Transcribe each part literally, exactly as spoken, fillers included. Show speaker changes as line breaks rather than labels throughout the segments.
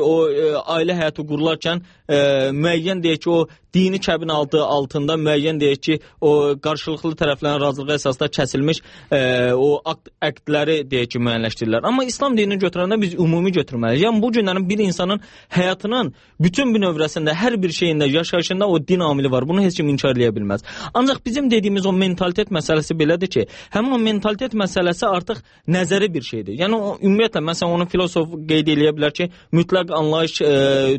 o e, ailə həyatı qurularkən e, müəyyən deyək ki, o dini kəbin altı altında müəyyən deyək ki, o qarşılıqlı tərəflərin razılığı əsasında kəsilmiş e, o akt, aktləri deyək ki, müəyyənləşdirirlər. Amma İslam dinini götürəndə biz ümumi götürməliyik. Yəni bu günlərin bir insanın həyatının bütün bir növrəsində, hər bir şeyində, yaşayışında o din amili var. Bunu heç kim inkar edə bilməz. Ancaq bizim dediyimiz o mentalitet məsələsi belədir ki, həmin o mentalitet məsələsi artıq nəzəri bir şeydir. Yəni o, ümumiyyətlə, məsələn, onu filosof qeyd edə bilər ki, mütləq anlayış e,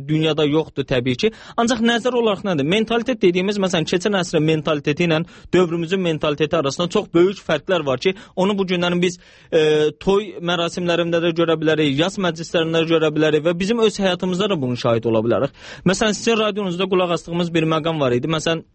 dünyada yoxdur təbii ki. Ancaq nəzər olaraq nədir? Mentalitet dediyimiz, məsələn, keçən əsrin mentaliteti ilə dövrümüzün mentaliteti arasında çox böyük fərqlər var ki, onu bu günlərin biz e, toy mərasimlərində də görə bilərik, yas məclislərində də görə bilərik və bizim öz həyatımızda da bunun şahid ola bilərik. Məsələn, sizin radionuzda qulaq asdığımız bir məqam var idi. Məsələn,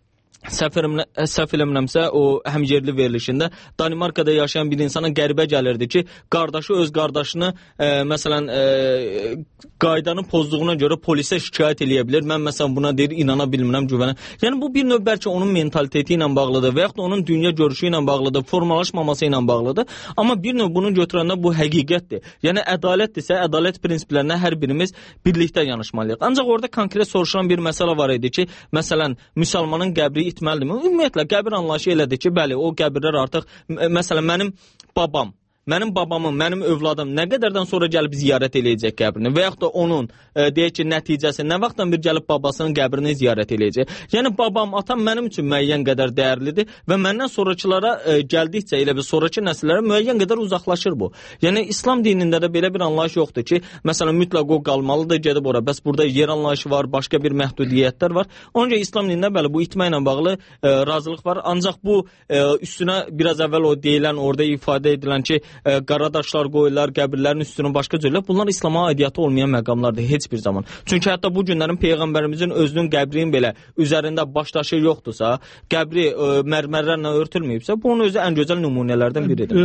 səhv eləmirəmsə, o həmyerli verilişində Danimarkada yaşayan bir insana qəribə gəlirdi ki, qardaşı öz qardaşını e, məsələn e, qaydanı pozduğuna görə polisə şikayət eləyə bilir. Mən məsələn buna deyir, inana bilmirəm, güvənə. Yəni bu bir növ bəlkə onun mentaliteti ilə bağlıdır və yaxud da onun dünya görüşü ilə bağlıdır, formalaşmaması ilə bağlıdır. Amma bir növ bunu götürəndə bu həqiqətdir. Yəni ədalətdirsə, ədalət prinsiplərinə hər birimiz birlikdə yanaşmalıyıq. Ancaq orada konkret soruşulan bir məsələ var idi ki, məsələn, müsəlmanın qəbri itməlidirmi? Ümumiyyətlə, qəbir anlayışı elədir ki, bəli, o qəbirlər artıq, məsələn, mənim babam, mənim babamın, mənim övladım nə qədərdən sonra gəlib ziyarət eləyəcək qəbrini və yaxud da onun, e, deyək ki, nəticəsi nə vaxtdan bir gəlib babasının qəbrini ziyarət eləyəcək. Yəni, babam, atam mənim üçün müəyyən qədər dəyərlidir və məndən sonrakılara e, gəldikcə, elə bir sonraki nəsillərə müəyyən qədər uzaqlaşır bu. Yəni, İslam dinində də belə bir anlayış yoxdur ki, məsələn, mütləq o qalmalıdır, gedib ora. Bəs burada yer anlayışı var, başqa bir məhdudiyyətlər var. Onca İslam dinində bəli, bu itməklə bağlı e, razılıq var. Ancaq bu e, üstünə biraz əvvəl o deyilən, orada ifadə edilən ki, E, qara daşlar qoyurlar, qəbirlərin üstünü başqa cürlər. Bunlar İslama aidiyyatı olmayan məqamlardır heç bir zaman. Çünki hətta bu günlərin Peyğəmbərimizin özünün qəbrinin belə üzərində baş daşı yoxdursa, qəbri e, mərmərlərlə örtülməyibsə, bunun özü ən gözəl nümunələrdən biridir.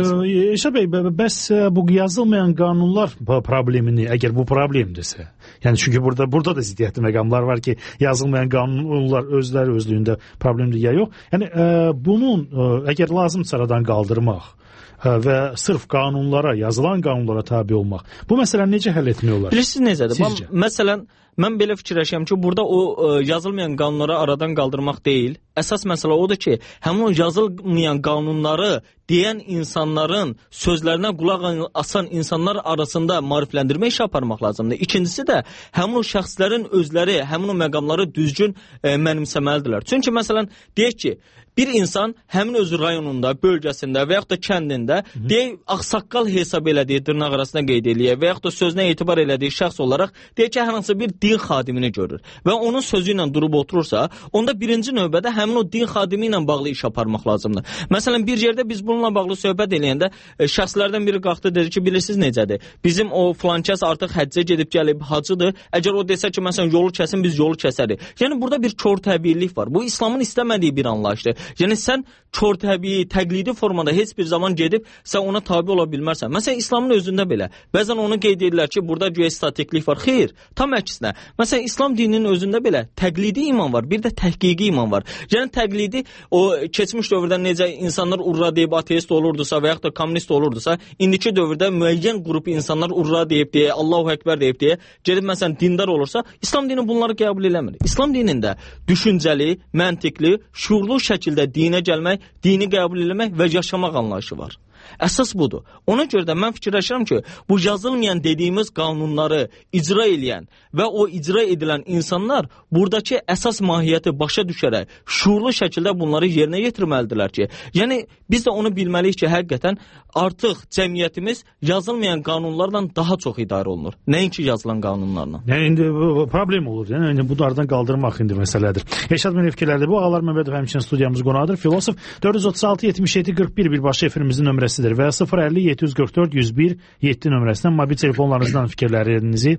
Eşə bəy, bəs bu yazılmayan qanunlar problemini, əgər bu problemdirsə, yəni çünki burada burada da ziddiyyətli məqamlar var ki, yazılmayan qanunlar özləri özlüyündə problemdir ya yox. Yəni e, bunun e, əgər lazımsa aradan qaldırmaq və sırf qanunlara, yazılan qanunlara tabi olmaq. Bu məsələni necə həll etmək olar?
Bilirsiniz necədir? Sizcə? Məsələn, mən belə fikirləşirəm ki, burada o ə, yazılmayan qanunları aradan qaldırmaq deyil. Əsas məsələ odur ki, həmin o yazılmayan qanunları deyən insanların sözlərinə qulaq asan insanlar arasında maarifləndirmə işi aparmaq lazımdır. İkincisi də həmin o şəxslərin özləri həmin o məqamları düzgün ə, mənimsəməlidirlər. Çünki məsələn, deyək ki, bir insan həmin öz rayonunda, bölgəsində və yaxud da kəndində deyək, ağsaqqal hesab elədiyi, dırnaq arasına qeyd eləyək və yaxud da sözünə etibar elədiyi şəxs olaraq deyək ki, hər hansı bir din xadimini görür və onun sözü ilə durub oturursa, onda birinci növbədə həmin o din xadimi ilə bağlı iş aparmaq lazımdır. Məsələn, bir yerdə biz bununla bağlı söhbət eləyəndə e, şəxslərdən biri qalxdı, dedi ki, bilirsiniz necədir? Bizim o filan kəs artıq həccə gedib gəlib hacıdır. Əgər o desə ki, məsələn, yolu kəsin, biz yolu kəsərik. Yəni, burada bir kör təbiilik var. Bu, İslamın istəmədiyi bir anlayışdır. Yəni, sən kör təbii, təqlidi formada heç bir zaman gedib, sən ona tabi ola bilmərsən. Məsələn, İslamın özündə belə. Bəzən onu qeyd edirlər ki, burada güya statiklik var. Xeyr, tam əksinə. Məsələn, İslam dininin özündə belə təqlidi iman var, bir də təhqiqi iman var. Yəni, təqlidi, o keçmiş dövrdə necə insanlar urra deyib ateist olurdusa və yaxud da kommunist olurdusa, indiki dövrdə müəyyən qrup insanlar urra deyib deyə, Allahu Ekber deyib deyə, gedib məsələn dindar olursa, İslam dini bunları qəbul eləmir. İslam dinində düşüncəli, məntiqli, şuurlu şəkildə dinə gəlmək, dini qəbul eləmək və yaşamaq anlayışı var. Əsas budur. Ona görə də mən fikirləşirəm ki, bu yazılmayan dediyimiz qanunları icra eləyən və o icra edilən insanlar buradakı əsas mahiyyəti başa düşərək, şuurlu şəkildə bunları yerinə yetirməlidirlər ki, yəni biz də onu bilməliyik ki, həqiqətən artıq cəmiyyətimiz yazılmayan qanunlarla daha çox idarə olunur. Nəinki yazılan qanunlarla.
Yəni indi problem olur. Yəni indi bunlardan qaldırmaq indi məsələdir. Eşad mənim fikirlərdir. Bu Ağalar Məmmədov həmçinin studiyamız qonadır. Filosof dörd yüz otuz altı yetmiş yeddi qırx bir birbaşa efirimizin nömrəsidir və sıfır əlli yeddi yüz qırx dörd yüz bir yeddi nömrəsindən mobil telefonlarınızdan fikirlərinizi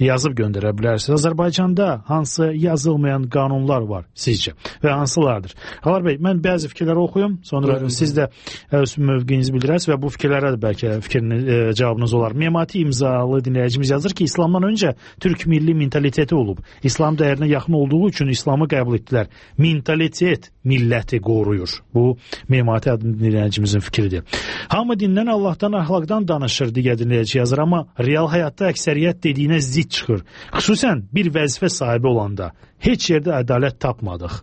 yazıb göndərə bilərsiniz. Azərbaycanda hansı yazılmayan qanunlar var sizcə və hansılardır? Ağalar bəy, mən bəzi fikirləri oxuyum, sonra Buyurun. Siz də öz mövqeyinizi bildirərsiniz və bu fikirlərə də bəlkə fikrini, e, cavabınız olar. Memati imzalı dinləyicimiz yazır ki, İslamdan öncə türk milli mentaliteti olub. İslam dəyərinə yaxın olduğu üçün İslamı qəbul etdilər. Mentalitet milləti qoruyur. Bu Memati adlı dinləyicimizin fikridir. Hamı dindən, Allahdan, əxlaqdan danışır, digər dinləyici yazır, amma real həyatda əksəriyyət dediyinə zid çıxır. Xüsusən bir vəzifə sahibi olanda heç yerdə ədalət tapmadıq.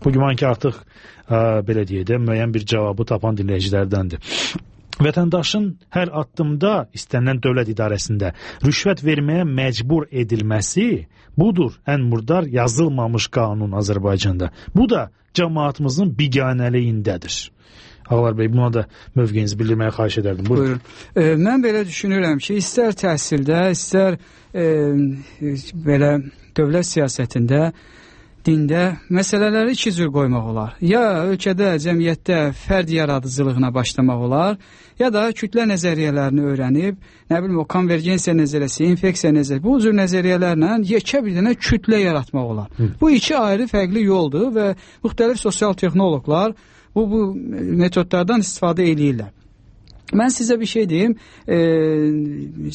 Bu güman ki, artıq ə, belə deyək də, müəyyən bir cavabı tapan dinləyicilərdəndir. Vətəndaşın hər addımda istənilən dövlət idarəsində rüşvət verməyə məcbur edilməsi budur ən murdar yazılmamış qanun Azərbaycanda. Bu da cəmaatımızın biganəliyindədir. Ağlar bəy, buna da mövqeyinizi bildirməyə xahiş edərdim. Buyurun.
Buyurun. E, mən belə düşünürəm ki, istər təhsildə, istər e, belə dövlət siyasətində, dində məsələləri iki cür qoymaq olar. Ya ölkədə, cəmiyyətdə fərd yaradıcılığına başlamaq olar, ya da kütlə nəzəriyyələrini öyrənib, nə bilim, o konvergensiya nəzəriyyəsi, infeksiya nəzəriyyəsi, bu cür nəzəriyyələrlə yekə bir dənə kütlə yaratmaq olar. Hı. Bu iki ayrı fərqli yoldur və müxtəlif sosial texnoloqlar bu, bu metodlardan istifadə edirlər. Mən sizə bir şey deyim, e,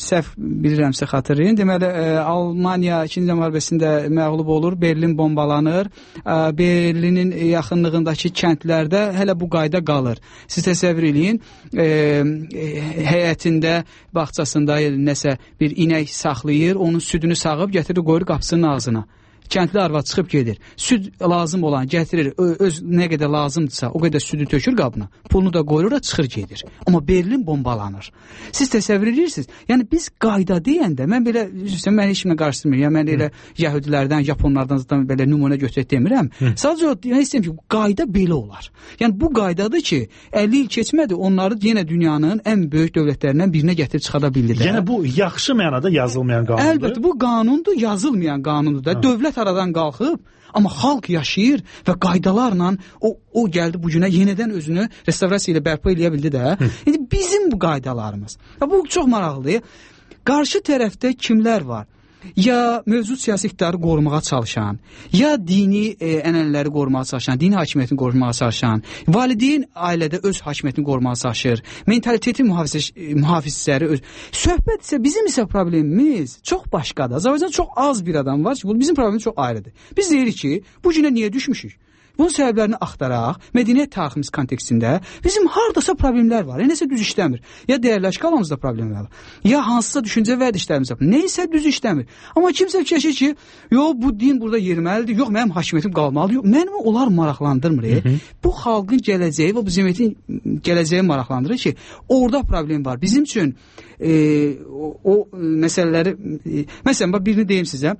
səhv bilirəmsə xatırlayın. Deməli, e, Almaniya ikinci Dünya müharibəsində məğlub olur, Berlin bombalanır, e, Berlinin yaxınlığındakı kəndlərdə hələ bu qayda qalır. Siz təsəvvür eləyin, e, e, həyətində, bağçasında nəsə bir inək saxlayır, onun südünü sağıb gətirir, qoyur qapısının ağzına. Kəndli arvad çıxıb gedir. Süd lazım olan gətirir, öz nə qədər lazımdırsa o qədər südü tökür qabına, pulunu da qoyur da çıxır gedir. Amma Berlin bombalanır. Siz təsəvvür edirsiniz? Yəni biz qayda deyəndə, mən belə, mən heç kimə qarşılamıyorum. Yəni mən elə yəhudilərdən, japonlardan zaten belə nümunə götürək demirəm. Hı. Sadəcə yəni istəyirəm ki, qayda belə olar. Yəni bu qaydadır ki, əlli il keçmədi, onları yenə dünyanın ən böyük dövlətlərindən birinə gətirib çıxara bildilər.
Yəni bu yaxşı mənada yazılmayan qanundur.
Əlbəttə, bu qanundur, yazılmayan qanundur da. Ha. Dövlət aradan qalxıb, amma xalq yaşayır və qaydalarla o, o gəldi bu günə yenidən özünü restavrasiya ilə bərpa eləyə bildi də. Hı. İndi bizim bu qaydalarımız. Ya, bu çox maraqlıdır. Qarşı tərəfdə kimlər var? Ya mövcud siyasi iqtidarı qorumağa çalışan, ya dini e, ənənələri qorumağa çalışan, dini hakimiyyətini qorumağa çalışan, valideyn ailədə öz hakimiyyətini qorumağa çalışır, mentaliteti mühafizləri öz. Söhbət isə bizim isə problemimiz çox başqadır. Azərbaycanda çox az bir adam var ki, bu bizim problemimiz çox ayrıdır. Biz deyirik ki, bu günə niyə düşmüşük? Bunun səbəblərini axtaraq, mədəniyyət tariximiz kontekstində bizim hardasa problemlər var. Nəsə düz işləmir. Ya dəyərli şkalamızda problemlər var. Ya hansısa düşüncə vərdişlərimiz var. Neysə düz işləmir. Amma kimsə fikirləşir ki, yox bu din burada yeriməlidir, yox mənim hakimiyyətim qalmalıdır. Yox, məni onlar maraqlandırmır. Hı -hı. Bu xalqın gələcəyi və bu cəmiyyətin gələcəyi maraqlandırır ki, orada problem var. Bizim üçün e, o, o məsələləri, e, məsələn, bax birini deyim sizə,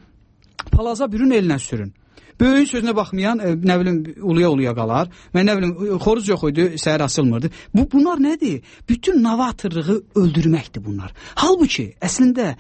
palaza bürün elinə sürün. Böyüyün sözünə baxmayan, e, nə bilim, uluya-uluya qalar. Mən nə bilim, xoruz yox idi, səhər asılmırdı. Bu, bunlar nədir? Bütün novatorluğu öldürməkdir bunlar. Halbuki, əslində,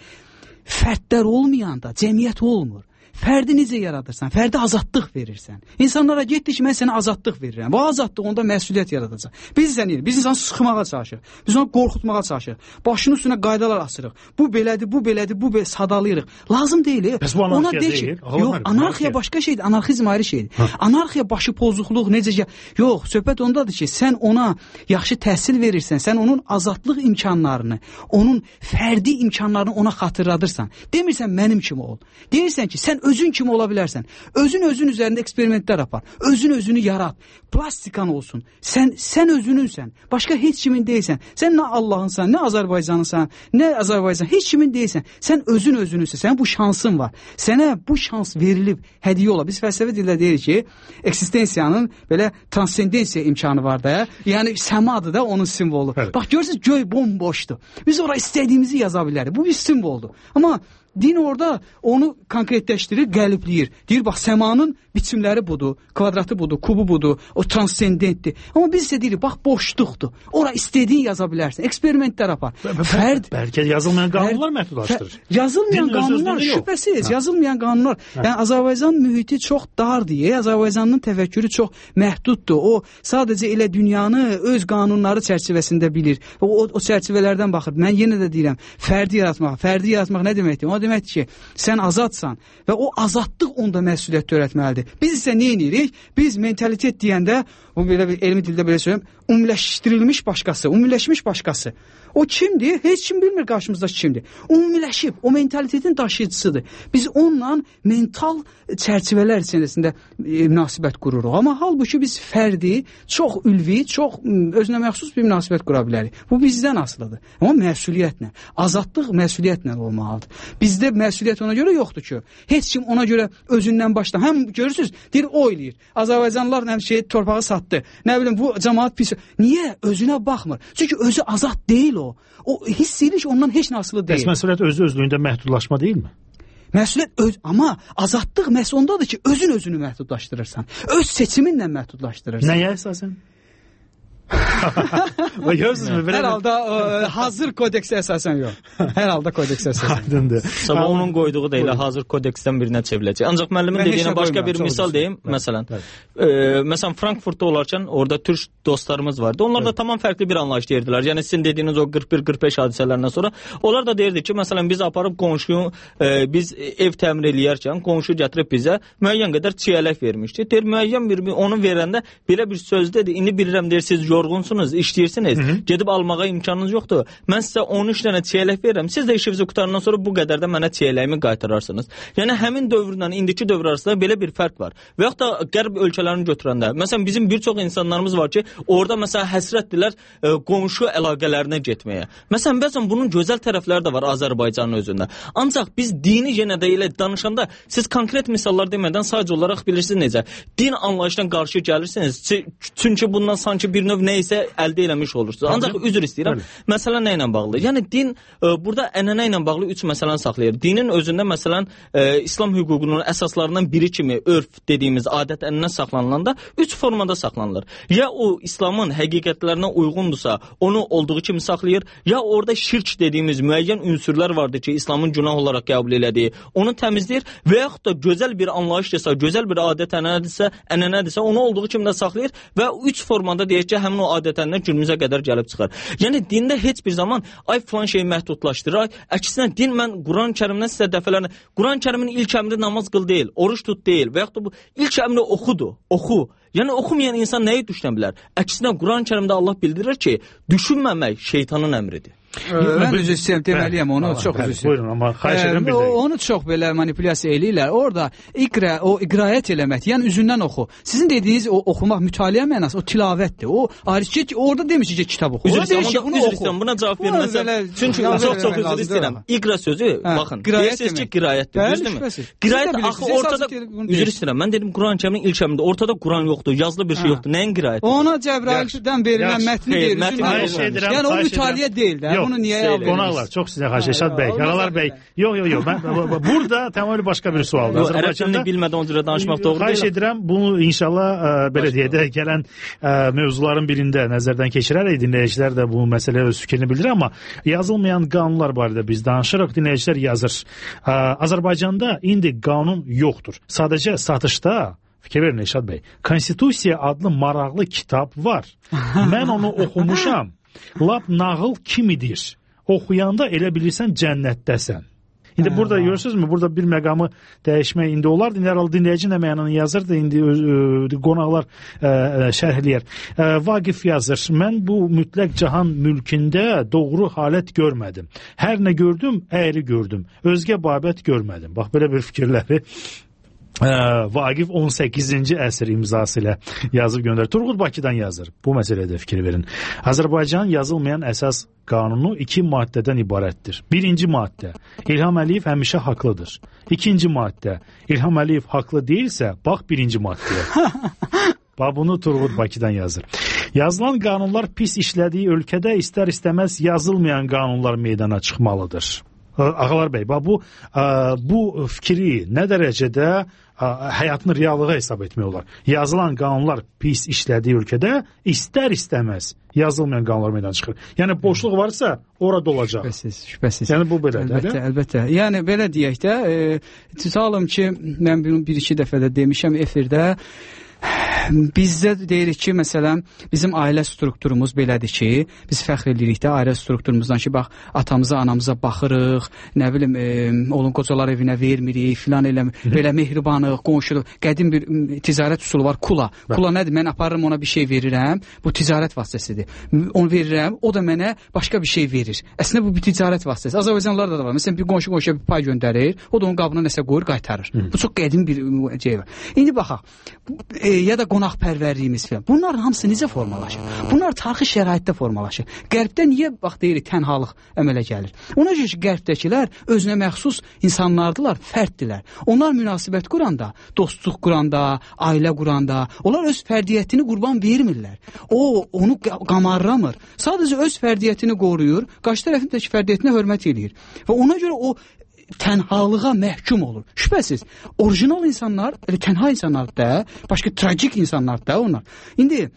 fərdlər olmayanda cəmiyyət olmur. Fərdi necə yaradırsan? Fərdi azadlıq verirsən. İnsanlara getdi ki, mən sənə azadlıq verirəm. Bu azadlıq onda məsuliyyət yaradacaq. Biz sən biz insanı sıxmağa çalışırıq. Biz onu qorxutmağa çalışırıq. Başının üstünə qaydalar asırıq. Bu belədir, bu belədir, bu belə sadalayırıq. Lazım deyil.
Bəs bu anarxiya deyil.
deyil. Yox, anarxiya başqa şeydir. Anarxizm ayrı şeydir. Ha. Anarxiya başı pozukluq necə? Yox, söhbət ondadır ki, sən ona yaxşı təhsil verirsən, sən onun azadlıq imkanlarını, onun fərdi imkanlarını ona xatırladırsan. Demirsən mənim kimi ol. Deyirsən ki, sən özün kimi ola bilərsən. Özün özün üzərində eksperimentlər apar. Özün özünü yarat. Plastikan olsun. Sən sən özününsən. Başqa heç kimin deyilsən. Sən nə Allahınsan, nə Azərbaycanınsan, nə Azərbaycan heç kimin deyilsən. Sən özün özününsən. Sənin bu şansın var. Sənə bu şans verilib, hədiyyə ola. Biz fəlsəfi dildə deyirik ki, eksistensiyanın belə transcendensiya imkanı var da. Yəni səmadır da onun simvolu. Evet. Bax görürsüz, göy bomboşdur. Biz ora istədiyimizi yaza bilərik. Bu bir simvoldur. Amma din orada onu konkretləşdirir, qəlibləyir. Deyir, bax, səmanın biçimləri budur, kvadratı budur, kubu budur, o transcendentdir. Amma biz isə deyirik, bax, boşluqdur. Ora istədiyin yaza bilərsən. Eksperimentlər apar.
Fərd, bəlkə yazılmayan qanunlar məhdudlaşdırır.
Yazılmayan din qanunlar, şübhəsiz, ha. yazılmayan qanunlar. Ha. Yəni, Azərbaycan mühiti çox dar deyə, Azərbaycanın təfəkkürü çox məhduddur. O, sadəcə elə dünyanı öz qanunları çərçivəsində bilir. O, o, o çərçivələrdən baxır. Mən yenə də deyirəm, fərdi yaratmaq. Fərdi yaratmaq nə deməkdir? O o deməkdir ki, sən azadsan və o azadlıq onda məsuliyyət törətməlidir. Biz isə nə edirik? Biz mentalitet deyəndə, o belə bir elmi dildə belə söyləyəm, ümumiləşdirilmiş başqası, ümumiləşmiş başqası. O kimdir? Heç kim bilmir qarşımızdakı kimdir. Ümumiləşib, o mentalitetin daşıyıcısıdır. Biz onunla mental çərçivələr içərisində e, münasibət qururuq. Amma halbuki biz fərdi, çox ülvi, çox özünə məxsus bir münasibət qura bilərik. Bu bizdən asılıdır. Amma məsuliyyətlə, azadlıq məsuliyyətlə olmalıdır. Bizdə məsuliyyət ona görə yoxdur ki, heç kim ona görə özündən başlar. Həm görürsünüz, deyir o eləyir. Azərbaycanlılar həm şey torpağı satdı. Nə bilim bu cəmaət pis. Niyə? Özünə baxmır. Çünki özü azad deyil o. O hiss edir ki, ondan heç nasılı deyil.
Bəs məsuliyyət özü özlüyündə məhdudlaşma deyilmi?
Məsuliyyət öz, amma azadlıq məhz ondadır ki, özün özünü məhdudlaşdırırsan. Öz seçiminlə məhdudlaşdırırsan.
Nəyə əsasən?
Hər halda ə, hazır kodeksə əsasən yox. Hər halda kodeksə əsasən.
Aydındır.
Sabah onun qoyduğu da elə hazır kodeksdən birinə çevriləcək. Ancaq müəllimin dediyinə başqa bir misal deyim. Məsələn, e, məsələn Frankfurtda olarkən orada türk dostlarımız vardı. Onlar da tamam fərqli bir anlayış deyirdilər. Yəni sizin dediyiniz o qırx bir qırx beş hadisələrindən sonra onlar da deyirdi ki, məsələn biz aparıb qonşuyu e, biz ev təmir eləyərkən qonşu gətirib bizə müəyyən qədər çiyələk vermişdi. Deyir müəyyən bir onu verəndə belə bir söz dedi. İndi bilirəm deyir siz yorğunsunuz, işləyirsiniz, Hı -hı. gedib almağa imkanınız yoxdur. Mən sizə on üç dənə çiyələk verirəm. Siz də işinizi qutarandan sonra bu qədər də mənə çiyələyimi qaytararsınız. Yəni həmin dövrlə indiki dövr arasında belə bir fərq var. Və yaxud da qərb ölkələrini götürəndə, məsələn bizim bir çox insanlarımız var ki, orada məsələn həsrətdirlər e, qonşu əlaqələrinə getməyə. Məsələn bəzən bunun gözəl tərəfləri də var Azərbaycanın özündə. Ancaq biz dini yenə də elə danışanda siz konkret misallar demədən sadəcə olaraq bilirsiniz necə. Din anlayışına qarşı gəlirsiniz. Çünki bundan sanki bir növ nə isə əldə eləmiş olursunuz. Ancaq üzr istəyirəm. Məsələ nə ilə bağlı? Yəni din e, burada ənənə ilə bağlı üç məsələni saxlayır. Dinin özündə məsələn e, İslam hüququnun əsaslarından biri kimi örf dediyimiz adət-ənənə saxlanılanda üç formada saxlanılır. Ya o İslamın həqiqətlərinə uyğundursa, onu olduğu kimi saxlayır, ya orada şirk dediyimiz müəyyən ünsürlər vardır ki, İslamın günah olaraq qəbul elədiyi, onu təmizləyir və yaxud da gözəl bir anlayışdırsa, gözəl bir adət-ənənədirsə, ənənədirsə, onu olduğu kimi də saxlayır və üç formada deyək ki, həmin o adətəndən günümüzə qədər gəlib çıxar. Yəni dində heç bir zaman ay filan şeyi məhdudlaşdırır. Əksinə din mən Quran-Kərimdən sizə dəfələrlə Quran-Kərimin ilk əmri namaz qıl deyil, oruç tut deyil və yaxud da bu ilk əmri oxudur, oxu. Yəni oxumayan insan nəyi düşünə bilər? Əksinə Quran-Kərimdə Allah bildirir ki, düşünməmək şeytanın əmridir.
Mən üzr istəyirəm, deməliyəm onu, çox üzr istəyirəm.
Buyurun, amma xahiş edirəm bir dəqiqə.
Onu çox belə manipulyasiya eləyirlər. Orada iqra, o iqrayət eləmək, yəni üzündən oxu. Sizin dediyiniz o oxumaq, mütaliə mənası, o tilavətdir. O ayrıca orada demişik ki, kitab oxu.
Üzr istəyirəm, üzr istəyirəm, buna cavab verməsəm. Çünki çox-çox üzr istəyirəm. İqra sözü, baxın, deyirsiniz ki, qirayətdir, düzdürmü? Qirayət axı ortada, üzr istəyirəm, mən dedim Quran-Kərimin ilk əmrində, ortada Quran yoxdur, yazılı bir şey yoxdur. Nəyin qirayəti?
Ona Cəbraildən verilən mətni deyir. Yəni o mütaliə deyil də. Bunu niyə aldınız?
Qonaqlar, çox sizə xahiş Eşad bəy, Qaralar bəy. Yox, yox, yox. Burada tamamilə başqa bir sualdır.
Azərbaycanda bilmədən o cürə danışmaq doğru deyil.
Xahiş edirəm, bunu inşallah belə deyək də gələn mövzuların birində nəzərdən keçirərək dinləyicilər də bu məsələyə öz fikrini bildirir, amma yazılmayan qanunlar barədə biz danışırıq, dinləyicilər yazır. Azərbaycanda indi qanun yoxdur. Sadəcə satışda fikir verin Eşad bəy. Konstitusiya adlı maraqlı kitab var. Mən onu oxumuşam. Lap nağıl kimidir. Oxuyanda elə bilirsən cənnətdəsən. İndi burada görürsünüzmü? Burada bir məqamı dəyişmək indi olardı. İndi hər halda dinləyici nə mənanı yazırdı. İndi qonaqlar şərh eləyər. Vaqif yazır. Mən bu mütləq cahan mülkündə doğru halət görmədim. Hər nə gördüm, əyri gördüm. Özgə babət görmədim. Bax, belə bir fikirləri Vaqif on səkkizinci əsr imzası ilə yazıb göndərir. Turğud Bakıdan yazır. Bu məsələdə fikir verin. Azərbaycan yazılmayan əsas qanunu iki maddədən ibarətdir. Birinci maddə, İlham Əliyev həmişə haqlıdır. İkinci maddə, İlham Əliyev haqlı deyilsə, bax birinci maddəyə. Bax, bunu Turğud Bakıdan yazır. Yazılan qanunlar pis işlədiyi ölkədə istər-istəməz yazılmayan qanunlar meydana çıxmalıdır. Ağalar bəy, bu, bu fikri nə dərəcədə həyatını reallığa hesab etmək olar? Yazılan qanunlar pis işlədiyi ölkədə istər-istəməz yazılmayan qanunlar meydana çıxır. Yəni boşluq varsa orada olacaq.
Şübhəsiz, şübhəsiz.
Yəni bu belədir.
Əlbəttə, əlbəttə. Yəni belə deyək də, e, tutalım ki, mən bunu bir-iki dəfə də demişəm efirdə, Bizdə deyirik ki, məsələn, bizim ailə strukturumuz belədir ki, biz fəxr edirik də ailə strukturumuzdan ki, bax, atamıza, anamıza baxırıq, nə bilim, e, oğlun qocalar evinə vermirik, filan elə, belə mehribanıq, qonşuluq. Qədim bir ticarət üsulu var, kula. Kula nədir? Mən aparırım ona bir şey verirəm, bu ticarət vasitəsidir. Onu verirəm, o da mənə başqa bir şey verir. Əslində bu bir ticarət vasitəsi. Azərbaycanlılarda da var. Məsələn, bir qonşu qonşuya bir pay göndərir, o da onun qabına nəsə qoyur, qaytarır. Hı. Bu çox qədim bir şey var. İndi baxaq, e, ya da qonaqpərvərliyimiz filan. Bunlar hamısı necə formalaşır? Bunlar tarixi şəraitdə formalaşır. Qərbdə niyə bax deyirik tənhalıq əmələ gəlir? Ona görə ki, qərbdəkilər özünə məxsus insanlardılar, fərddilər. Onlar münasibət quranda, dostluq quranda, ailə quranda, onlar öz fərdiyyətini qurban vermirlər. O, onu qamarramır. Sadəcə öz fərdiyyətini qoruyur, qarşı tərəfindəki fərdiyyətinə hörmət edir. Və ona görə o tənhalığa məhkum olur. Şübhəsiz, orijinal insanlar, elə tənha insanlar da, başqa tragik insanlar da onlar. İndi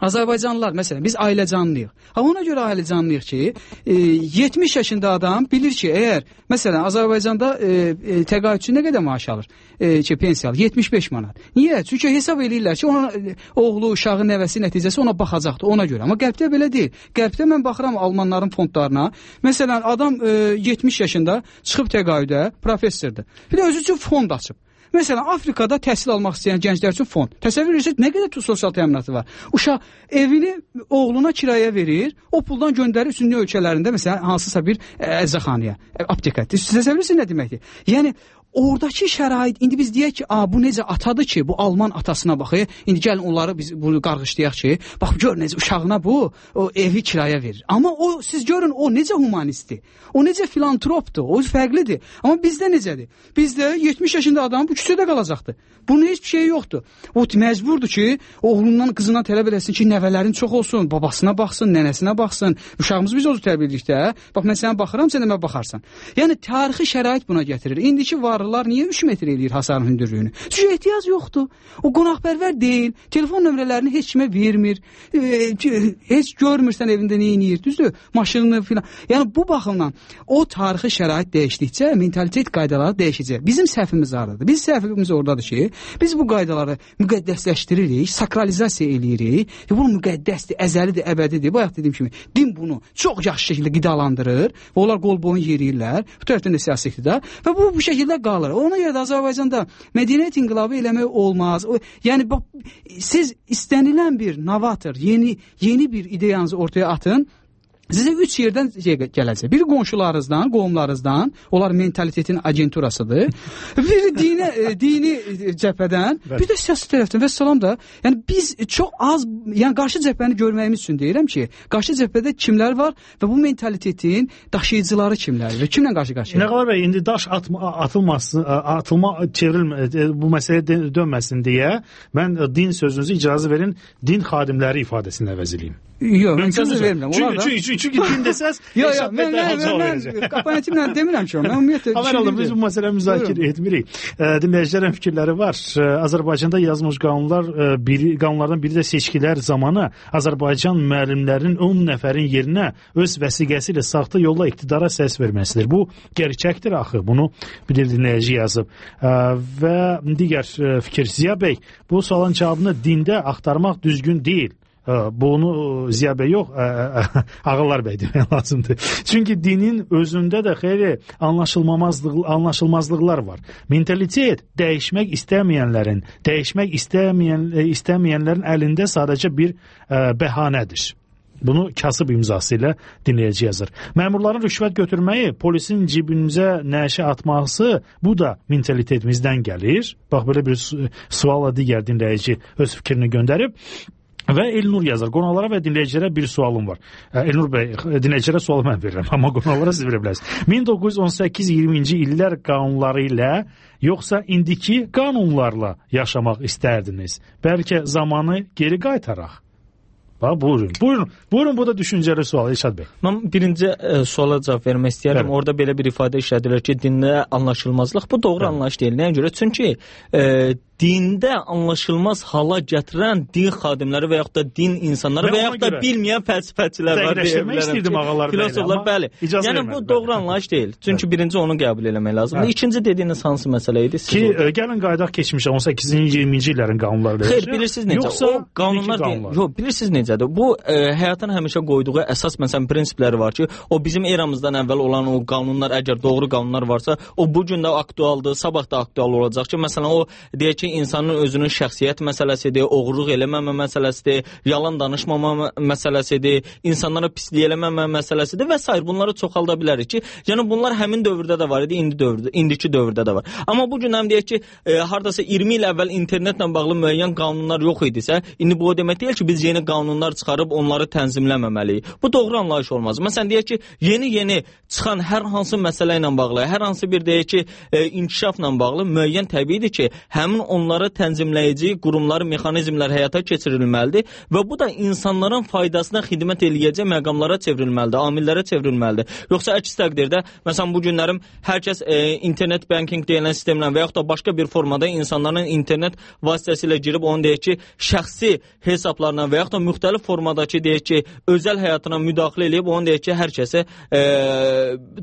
Azərbaycanlılar, məsələn, biz ailəcanlıyıq. Ha, ona görə ailəcanlıyıq ki, e, yetmiş yaşında adam bilir ki, əgər, məsələn, Azərbaycanda e, e, təqaüdçü nə qədər maaş alır? E, ki, pensiyalı, yetmiş beş manat. Niyə? Çünki hesab edirlər ki, ona, e, oğlu, uşağı, nəvəsi nəticəsi ona baxacaqdır, ona görə. Amma qərbdə belə deyil. Qərbdə mən baxıram Almanların fondlarına. Məsələn, adam e, yetmiş yaşında çıxıb təqaüdə, professordur. Bir də özü üçün fond açıb. Məsələn, Afrikada təhsil almaq istəyən gənclər üçün fond. Təsəvvür edirsiniz, nə qədər sosial təminatı var. Uşaq evini oğluna kiraya verir, o puldan göndərir üstünlük ölkələrində, məsələn, hansısa bir əczaxanaya, apteka. Təsəvvür edirsiniz nə deməkdir? Yəni, oradakı şərait, indi biz deyək ki, bu necə atadır ki, bu Alman atasına baxır, indi gəlin onları biz bunu qarğışlayaq ki, bax, gör necə uşağına bu, o evi kiraya verir. Amma o, siz görün, o necə humanistdir, o necə filantropdur, o fərqlidir. Amma bizdə necədir? Bizdə yetmiş yaşında adam bu küçədə qalacaqdır. Bunun heç bir şey yoxdur. O məcburdur ki, oğlundan qızına tələb eləsin ki, nəvələrin çox olsun, babasına baxsın, nənəsinə baxsın. Uşağımızı biz özü tərbiyə edirik də. Bax, mən sənə baxıram, sən də mənə baxarsan. Yəni, tarixi şərait buna gətirir. İndiki varlılar niyə üç metr eləyir hasarın hündürlüyünü? Çünki ehtiyac yoxdur. O qonaqpərvər deyil. Telefon nömrələrini heç kimə vermir. E, heç görmürsən evində nə edir, düzdür? Maşınını filan. Yəni, bu baxımdan o tarixi şərait dəyişdikcə mentalitet qaydaları dəyişəcək. Bizim səhvimiz hardadır? Biz səhvimiz oradadır ki, biz bu qaydaları müqəddəsləşdiririk, sakralizasiya eləyirik. E, bu müqəddəsdir, əzəlidir, əbədidir. Bayaq dediyim kimi, din bunu çox yaxşı şəkildə qidalandırır və onlar qol boyun yeriyirlər. Bu tərəfdən də siyasi iqtidar və bu bu şəkildə qalır. Ona görə də Azərbaycanda mədəniyyət inqilabı eləmək olmaz. O, yəni bax, siz istənilən bir novator, yeni yeni bir ideyanızı ortaya atın. Sizə üç yerdən gələcək. Biri qonşularınızdan, qohumlarınızdan, onlar mentalitetin agenturasıdır. Biri dini, dini cəbhədən, bir də siyasi tərəfdən və salam da. Yəni biz çox az, yəni qarşı cəbhəni görməyimiz üçün deyirəm ki, qarşı cəbhədə kimlər var və bu mentalitetin daşıyıcıları kimlərdir və kimlə qarşı-qarşıya?
Nəqalar bəy, indi daş atma, atılmasın, atılma çevrilmə, bu məsələyə dönməsin deyə mən din sözünüzü icazə verin, din xadimləri ifadəsini əvəz edeyim.
Yox, mən sözü vermirəm.
Çünki, çünki, çünki, çünki din desəz,
yox, yox, mən, mən, mən, mən komponentimlə demirəm ki, mən ümumiyyətlə
Haber alın, biz bu məsələ müzakirə etmirik. Dinləyicilərin fikirləri var. Azərbaycanda yazılmış qanunlar, biri, qanunlardan biri də seçkilər zamanı Azərbaycan müəllimlərinin on nəfərin yerinə öz vəsiqəsi ilə saxta yolla iqtidara səs verməsidir. Bu gerçəkdir axı, bunu bir dinləyici yazıb. Və digər fikir, Ziya bəy, bu sualın cavabını dində axtarmaq düzgün deyil. Bunu Ziya bəy yox, Ağalar bəy demək lazımdır. Çünki dinin özündə də xeyli anlaşılmamazlıq, anlaşılmazlıqlar var. Mentalitet dəyişmək istəməyənlərin, dəyişmək istəməyən, istəməyənlərin əlində sadəcə bir ə, bəhanədir. Bunu kasıb imzası ilə dinləyici yazır. Məmurların rüşvət götürməyi, polisin cibimizə nəşə atması, bu da mentalitetimizdən gəlir. Bax, belə bir sualla digər dinləyici öz fikrini göndərib. Və Elnur yazar. Qonaqlara və dinləyicilərə bir sualım var. Elnur bəy, dinləyicilərə sualı mən verirəm, amma qonaqlara siz verə bilərsiniz. min doqquz yüz on səkkiz iyirminci illər qanunları ilə, yoxsa indiki qanunlarla yaşamaq istərdiniz? Bəlkə zamanı geri qaytaraq? Bax, buyurun, buyurun, buyurun, bu da düşüncəli sual, İlşad bəy.
Mən birinci e, suala cavab vermək istəyirəm. Evet. Orada belə bir ifadə işlədilir ki, dində anlaşılmazlıq. Bu doğru evet. anlayış deyil. Nəyə görə? Çünki e, dində anlaşılmaz hala gətirən din xadimləri və yaxud da din insanları və yaxud da bilməyən fəlsəfəçilər var.
Dəqiqləşdirmək istəyirdim ağalar bəli.
Filosoflar bəli. Yəni bu doğru anlayış deyil. Çünki birinci onu qəbul eləmək lazımdır. İkinci dediyiniz hansı məsələ idi?
Ki gəlin qaydaq keçmişə on səkkizinci iyirminci illərin qanunları.
Xeyr, bilirsiniz necə? Yoxsa o qanunlar deyil. Yox, bilirsiniz necədir? Bu e, həyatın həmişə qoyduğu əsas məsələn prinsipləri var ki, o bizim eramızdan əvvəl olan o qanunlar əgər doğru qanunlar varsa, o bu gün də aktualdır, sabah da aktual olacaq ki, məsələn o deyək ki, insanın özünün şəxsiyyət məsələsidir, oğurluq eləməmə məsələsidir, yalan danışmama məsələsidir, insanlara pislik eləməmə məsələsidir və s. bunları çoxalda bilərik ki, yəni bunlar həmin dövrdə də var idi, indi dövrdə, indiki dövrdə də var. Amma bu gün həm deyək ki, e, hardasa iyirmi il əvvəl internetlə bağlı müəyyən qanunlar yox idisə, indi bu o demək deyil ki, biz yeni qanunlar çıxarıb onları tənzimləməməliyik. Bu doğru anlayış olmaz. Məsələn deyək ki, yeni-yeni çıxan hər hansı məsələ ilə bağlı, hər hansı bir deyək ki, e, inkişafla bağlı müəyyən təbiidir ki, həmin onları tənzimləyici qurumlar, mexanizmlər həyata keçirilməlidir və bu da insanların faydasına xidmət eləyəcək məqamlara çevrilməlidir, amillərə çevrilməlidir. Yoxsa əks təqdirdə, məsələn bu günlərim hər kəs e, internet banking deyilən sistemlə və yaxud da başqa bir formada insanların internet vasitəsilə girib onu deyək ki, şəxsi hesablarına və yaxud da müxtəlif formadakı deyək ki, özəl həyatına müdaxilə eləyib onu deyək ki, hər kəsə e,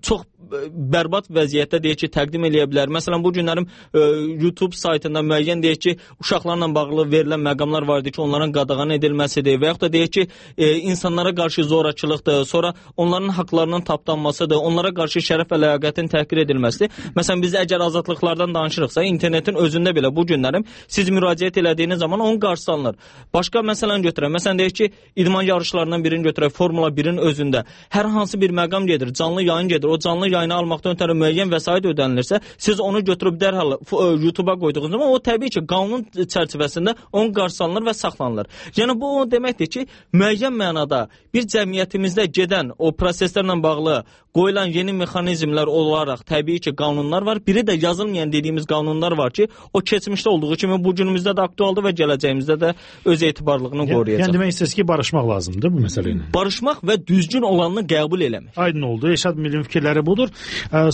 çox bərbad vəziyyətdə deyək ki, təqdim eləyə bilər. Məsələn, bu günlərim e, YouTube saytında müəyyən deyək ki, uşaqlarla bağlı verilən məqamlar var idi ki, onların qadağan edilməsidir və yaxud da deyək ki, e, insanlara qarşı zorakılıqdır, sonra onların haqlarının tapdanmasıdır, onlara qarşı şərəf və ləyaqətin təhqir edilməsidir. Məsələn, biz əgər azadlıqlardan danışırıqsa, internetin özündə belə bu günlərim siz müraciət elədiyiniz zaman onun qarşısı alınır. Başqa məsələn götürək. Məsələn, deyək ki, idman yarışlarından birini götürək, Formula birin özündə hər hansı bir məqam gedir, canlı yayın gedir, o canlı yayını almaqdan ötürü müəyyən vəsait ödənilirsə, siz onu götürüb dərhal YouTube-a qoyduğunuz zaman o təbii ki, qanun çərçivəsində onun qarşısı alınır və saxlanılır. Yəni bu o deməkdir ki, müəyyən mənada bir cəmiyyətimizdə gedən o proseslərlə bağlı qoyulan yeni mexanizmlər olaraq təbii ki, qanunlar var. Biri də yazılmayan dediyimiz qanunlar var ki, o keçmişdə olduğu kimi bu günümüzdə də aktualdır və gələcəyimizdə də öz etibarlılığını qoruyacaq.
Yəni demək istəyirsiniz ki, barışmaq lazımdır bu məsələ ilə.
Barışmaq və düzgün olanını qəbul eləmək.
Aydın oldu. Eşad Millin fikirləri budur.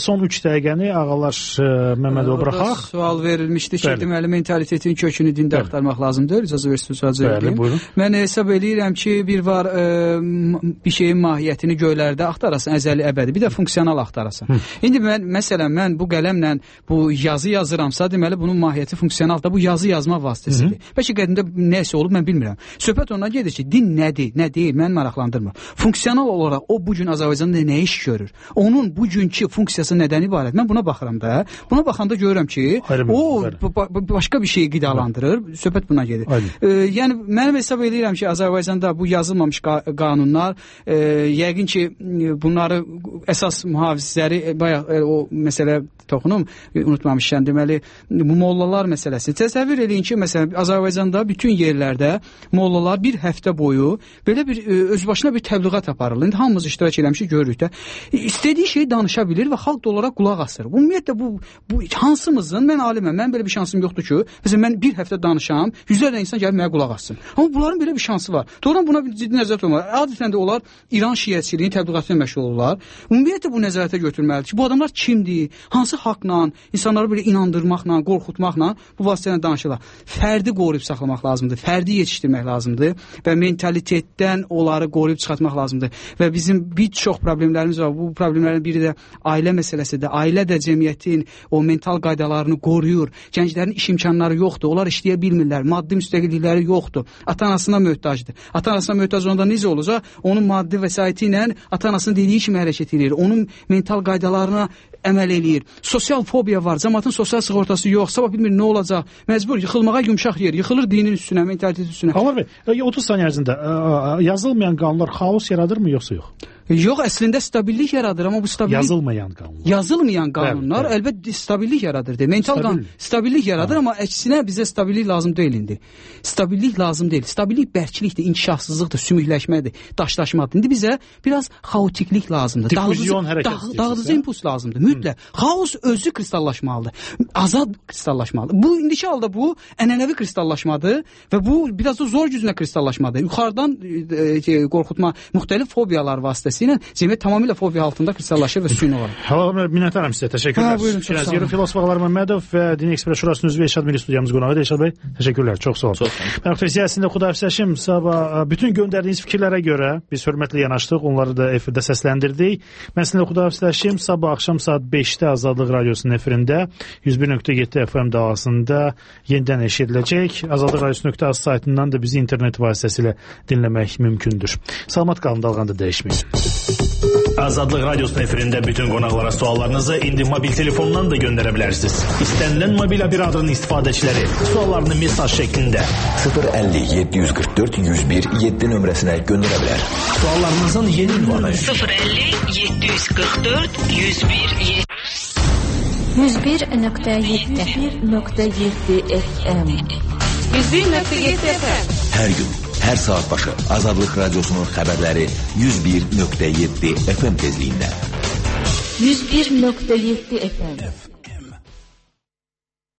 Son üç dəqiqəni ağalar Məmmədova buraxaq.
Sual verilmişdi ki, deməli mentalitetinin kökünü dində axtarmaq lazımdır. İcazə versiniz sual verim. Mən hesab eləyirəm ki, bir var e, bir şeyin mahiyyətini göylərdə axtarasan, əzəli əbədi, bir də funksional axtarasan. Hı. İndi mən məsələn mən bu qələmlə bu yazı yazıramsa, deməli bunun mahiyyəti funksional da bu yazı yazma vasitəsidir. Bəlkə qədimdə nəsə olub, mən bilmirəm. Söhbət ondan gedir ki, din nədir, nə deyil, məni maraqlandırmır. Funksional olaraq o bu gün Azərbaycanda nə iş görür? Onun bugünkü funksiyası nədən ibarət? Mən buna baxıram da. Buna baxanda görürəm ki, Ayrım, o başqa bir şeyi qidalandırır. Söhbət buna gedir. E, yəni mən hesab edirəm ki, Azərbaycanda bu yazılmamış qa qanunlar, e, yəqin ki, bunları əsas mühafizləri bayaq e, o məsələ toxunum, unutmamışam. Deməli, bu mollalar məsələsi. Təsəvvür eləyin ki, məsələn, Azərbaycanda bütün yerlərdə mollalar bir həftə boyu belə bir e, özbaşına bir təbliğat aparırlar. İndi hamımız iştirak eləmişik, görürük də. E, istədiyi şeyi danışa bilir və xalq da olaraq qulaq asır. Ümumiyyətlə bu bu hansımızın, mən aliməm, mən belə bir şansım yoxdur ki, məsələn mən bir həftə danışam, yüzlərlə insan gəlib mənə qulaq assın. Amma bunların belə bir şansı var. Doğrudan buna bir ciddi nəzarət olmalı. Adətən də onlar İran şiəçiliyinin təbliğatına məşğul olurlar. Ümumiyyətlə bu nəzarətə götürməlidir ki, bu adamlar kimdir? Hansı haqla, insanları belə inandırmaqla, qorxutmaqla bu vasitələ danışırlar. Fərdi qoruyub saxlamaq lazımdır. Fərdi yetişdirmək lazımdır və mentalitetdən onları qoruyub çıxartmaq lazımdır. Və bizim bir çox problemlərimiz var. Bu problemlərdən biri də ailə məsələsidir. Ailə də cəmiyyətin o mental qaydalarını qoruyur. Gənclərin iş imkanları yoxdur. Onlar işləyə bilmirlər. Maddi müstəqillikləri yoxdur. Ata-anasına möhtacdır. Ata-anasına möhtac onda necə olacaq? Onun maddi vəsaiti ilə ata-anasının dediyi kimi hərəkət edir. Onun mental qaydalarına əməl eləyir. Sosial fobiya var. Cəmaatın sosial sığortası yox. Sabah bilmir nə olacaq. Məcbur yıxılmağa yumşaq yer. Yıxılır dinin üstünə, mentalitetin üstünə.
Xanlar bəy, otuz saniyə ərzində yazılmayan qanunlar xaos yaradırmı yoxsa yox?
Yox, əslində stabillik yaradır, amma bu stabillik
yazılmayan qanunlar.
Yazılmayan qanunlar bəli, bəli. Əlbəttə stabillik yaradır. De. Mental stabil. qanun stabillik yaradır, ha. Amma əksinə bizə stabillik lazım deyil indi. Stabillik lazım deyil. Stabillik bərklikdir, inkişafsızlıqdır, sümükləşmədir, daşlaşmadır. İndi bizə biraz xaotiklik lazımdır.
Difüzyon hərəkət.
Dağıdıcı impuls lazımdır. mütləq. Xaos özü kristallaşmalıdır. Azad kristallaşmalıdır. Bu indiki halda bu ənənəvi kristallaşmadır və bu biraz da zor gücünə kristallaşmadır. Yuxarıdan e, qorxutma müxtəlif fobiyalar vasitəsilə cəmiyyət tamamilə fobiya altında kristallaşır və süni olur.
Hava minnətdaram sizə. Təşəkkürlər. Fikriniz Filosof Ağalar Məmmədov və Din Ekspres Şurasının üzvü Elşad Milli studiyamız qonağıdır. Elşad bəy, təşəkkürlər. Çox sağ olun. Mən Aktör siyasətində xudahafizləşim. Sabah bütün göndərdiyiniz fikirlərə görə biz hörmətlə yanaşdıq. Onları da efirdə səsləndirdik. Mən sizinlə xudahafizləşim. Sabah axşam saat beşdə Azadlıq Radiosunun efirində yüz bir nöqtə yeddi F M davasında yenidən eşidiləcək. Azadlıq Radiosu nöqtə az saytından da bizi internet vasitəsilə dinləmək mümkündür. Salamat qalın, dalğanda dəyişməyin. Azadlıq Radiosunun efirində bütün qonaqlara suallarınızı indi mobil telefondan da göndərə bilərsiniz. İstənilən mobil operatorun istifadəçiləri suallarını mesaj şəklində
sıfır əlli yeddi yüz qırx dörd yüz bir yeddi nömrəsinə göndərə bilər.
Suallarınızın yeni ünvanı
sıfır əlli yeddi yüz qırx dörd yüz bir
yüz bir nöqtə yeddi F M
yüz bir nöqtə yeddi F M
Hər gün, hər saat başı Azadlıq Radiosunun xəbərləri yüz bir nöqtə yeddi F M tezliyində.
yüz bir nöqtə yeddi F M